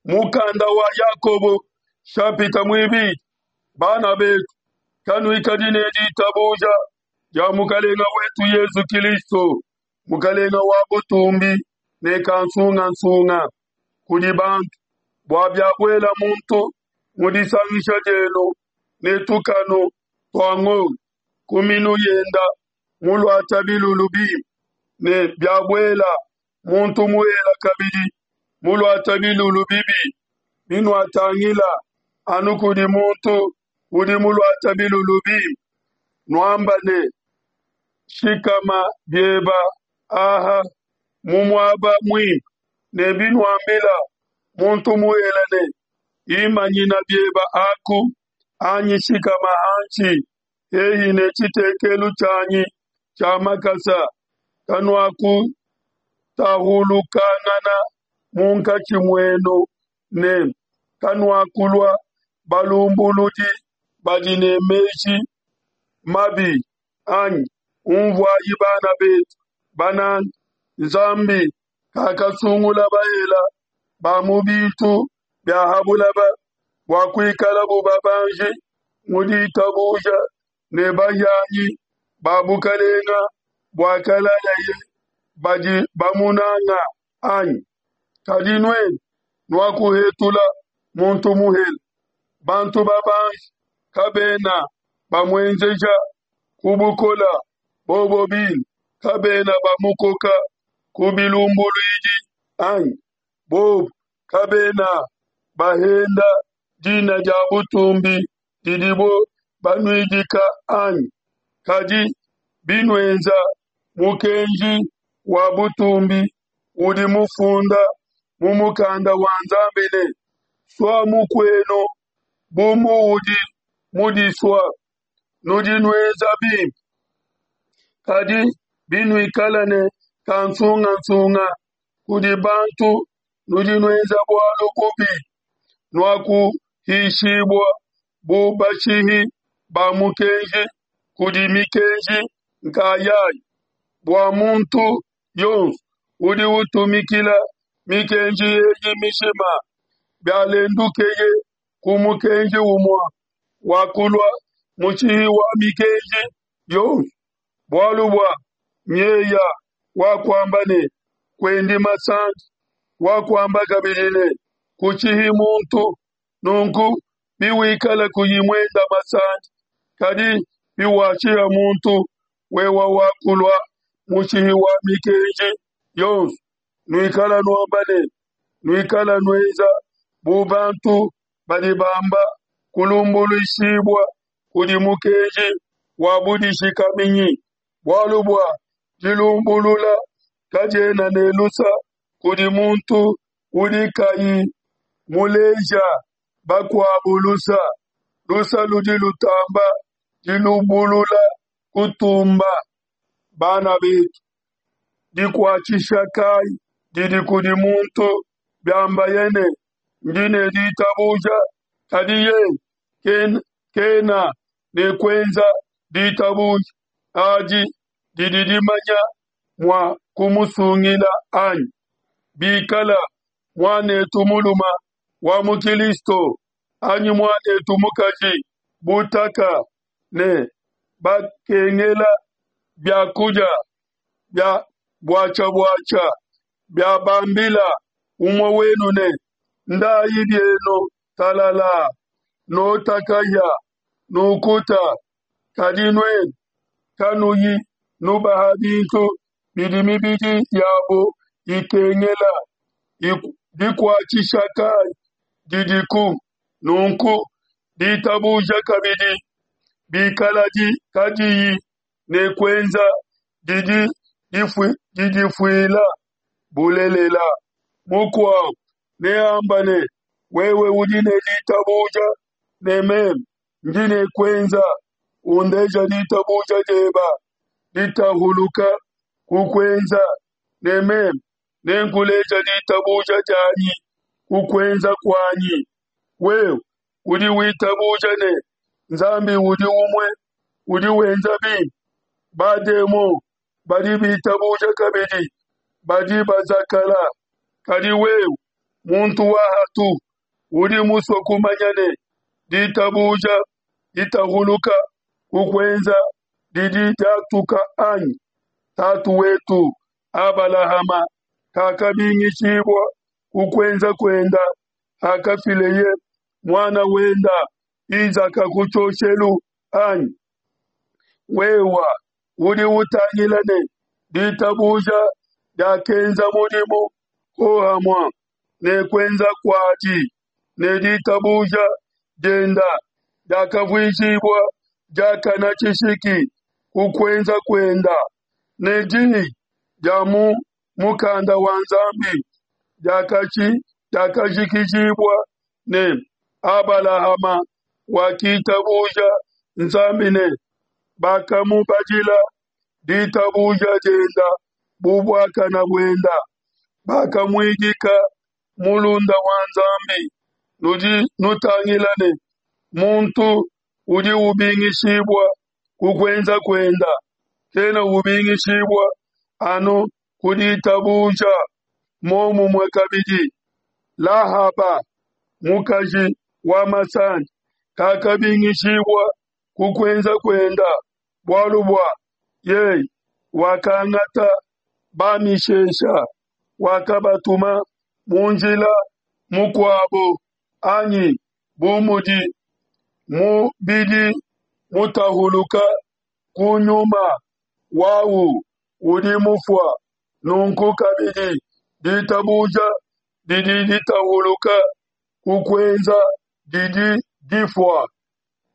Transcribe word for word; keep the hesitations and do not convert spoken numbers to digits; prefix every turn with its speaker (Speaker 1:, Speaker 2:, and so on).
Speaker 1: Mukanda wa Yakobo nshapita muibidi. Bana betu, kanuikadi ne ditabuja dia mukalenga wetu Yezu Kilisto, mukalenga wa butumbi ne kansungasunga kudi bantu, bua biabuela muntu mu disangisha dienu ne tukanu tua ngolo ku minu yenda muluata bilulu bimpe, ne biabuela muntu muhele kabidi muluata bilulu bibi, binuatangila anu kudi muntu udi muluata bilulu bimpe, nuamba ne, shikama bieba aha mu muaba muimpe, ne binuambila muntu muhele ne, imanyina bieba aku, anyi shikama hanshi hehi ne tshitekelu tshianyi tshia makasa, kanuakutahulukangana munkatshi muenu ne kanuakulua balumbuludi badi ne meji mabi anyi? Unvuayi, bana betu bananga, Nzambi kakasungula bahele ba mu bintu bia ha buloba bua kuikalabo babanji mu ditabuja ne bahianyi ba bukelenge buakalayeye badi bamunanga, anyi? Kadi nuenu nuakuhetula muntu muhele. Bantu babanji kabena bamuenzeja ku bukole, bobo bine kabena bamukoka ku bilumbuluidi, anyi? Bobo kabena bahenda dina dia butumbi didibo banuidika, anyi? Kadi binuenza mukenji wa butumbi udi mufunda mu mukanda wa Nzambi ne, Sua mukuenu bu muudi mudisue, nudi nuenza bimpe. Kadi binuikala ne kansungasunga kudi bantu, nudi nuenza bualu bubi, nuakuhishibua bu bashihi ba mukenji kudi mikenji nkayayi. Bua muntu yonso udi utumikila mikenji eyi mijima, bialendukeye ku mukenji umue, wakulua mushihi wa mikenji yonso. Bualu bua nyeya wakuamba ne, kuendi masandi, wakuamba kabidi ne, kushihi muntu. Nunku biwikala kuyi muenda masandi, kadi biwashiha muntu, wewa wakulua mushihi wa mikenji yonso. Nuikala nuamba ne nuikala nuenza bu bantu badi bamba kulumbuluishibua kudi mukenji wa budishikaminyi, bualu bua dilumbulula kadiena ne lusa kudi muntu udi kayi muleja bakuabo lusa. Lusa ludi lutamba dilumbulula kutumba. Bana betu, dikuatshisha kayi didi kudi muntu biambaye ne, ndi ne ditabuja, kadi yeye kena ne kuenza? Ditabuja adi didi dimanya mua kumusungila anyi? Bikala muanetu muluma wa mu Kilisto anyi muanetu mukaji butaka ne bakengela bia kudia bia buatshia-buatshia, biabambila umue wenu ne, ndayi bienu talala, nota kahia, nukuta, kadi nuenu kanuyi nubaha bintu bidi mibidi yabo ikengela, dikuatshisha kayi didiku? Nunku ditabuja kabidi, bikaladi kadiyi ne kuenza, didi didifuila. Bulelela, mukuabo neamba ne, wewe udi ne ditabuja ne meme ndi ne kuenza. Undeja ditabuja dieba ditahuluka ku kuenza, ne meme nenkuleja ditabuja dianyi ku kuenza kuanyi. Wewe udi witabuja ne Nzambi udi umue, udi wenza bimpe. Bademon badi bitabuja kabidi, badi bazakala. Kadi wewe Muntu wa hatu, udi musue kumanya ne ditabuja ditahuluka ku kuenza didi diatuka anyi? Tatu wetu Abalahama kakabingishibua ku kuenza kuenda hakafileye muana wenda Isaka ku tshioshelu anyi? Wewa udi utangila ne ditabuja diakenza mudimu hohamue ne kuenza kuadi, ne ditabuja dienda diakavuijibua diakana tshishiki ku kuenza kuenda, ne diyi dia mu Mukanda wa Nzambi diakajikijibua ne, Abalahama wakitabuja Nzambi ne bakamubadila ditabuja dienda bu buakana buenda, bakamuidika mulunda wa Nzambi. Nudi nutangila ne muntu udi ubingishibua ku kuenza kuenda, kena ubingishibua anu ku ditabuja. Momumue kabidi, Lahaba mukaji wa masandi kakabingishibua ku kuenza kuenda bualu bua yeye wakangata bamishesha, wakabatuma mu njila mukuabo anyi? Bu mudi mubidi mutahuluka ku nyuma wawu udi mufua, nunku kabidi ditabuja didi ditahuluka ku kuenza didi difua.